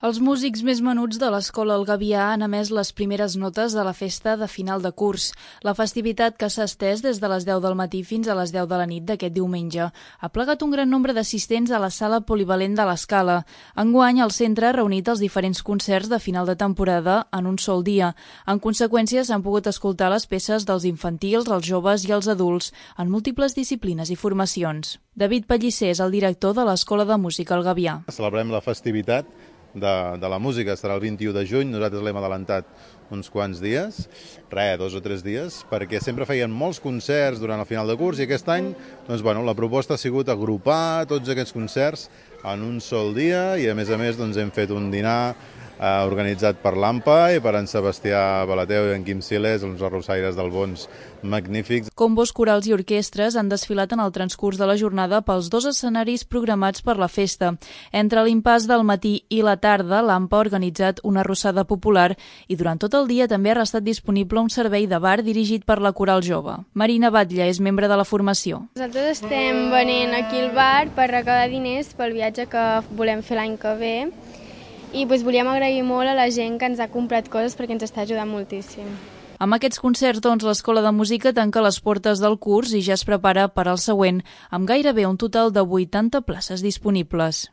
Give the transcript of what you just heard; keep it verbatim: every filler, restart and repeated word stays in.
Els músics més menuts de l'Escola El Gavià han emès les primeres notes de la festa de final de curs. La festivitat, que s'ha estès des de les deu del matí fins a les deu de la nit d'aquest diumenge, ha plegat un gran nombre d'assistents a la sala polivalent de l'Escala. Enguany, el centre ha reunit els diferents concerts de final de temporada en un sol dia. En conseqüència, s'han pogut escoltar les peces dels infantils, els joves i els adults, en múltiples disciplines i formacions. David Pellicer és el director de l'Escola de Música El Gavià. Celebrem la festivitat De, de la música, estarà el vint-i-u de juny, nosaltres l'hem adelantat uns quants dies, res, dos o tres dies, perquè sempre feien molts concerts durant el final de curs i aquest any doncs, bueno, la proposta ha sigut agrupar tots aquests concerts en un sol dia i a més a més doncs, hem fet un dinar eh, organitzat per l'AMPA i per en Sebastià Balateu i en Quim Siles, uns arrossaires del Bons magnífics. Combos, corals i orquestres han desfilat en el transcurs de la jornada pels dos escenaris programats per la festa. Entre l'impàs del matí i la tarda, l'AMPA ha organitzat una arrossada popular i durant tot el dia també ha restat disponible un servei de bar dirigit per la Coral Jove. Marina Batlle és membre de la formació. Nosaltres estem venint aquí al bar per recaudar diners pel viatge que volem fer l'any que ve i doncs, volíem agrair molt a la gent que ens ha comprat coses perquè ens està ajudant moltíssim. Amb aquests concerts, doncs, l'Escola de Música tanca les portes del curs i ja es prepara per al següent, amb gairebé un total de vuitanta places disponibles.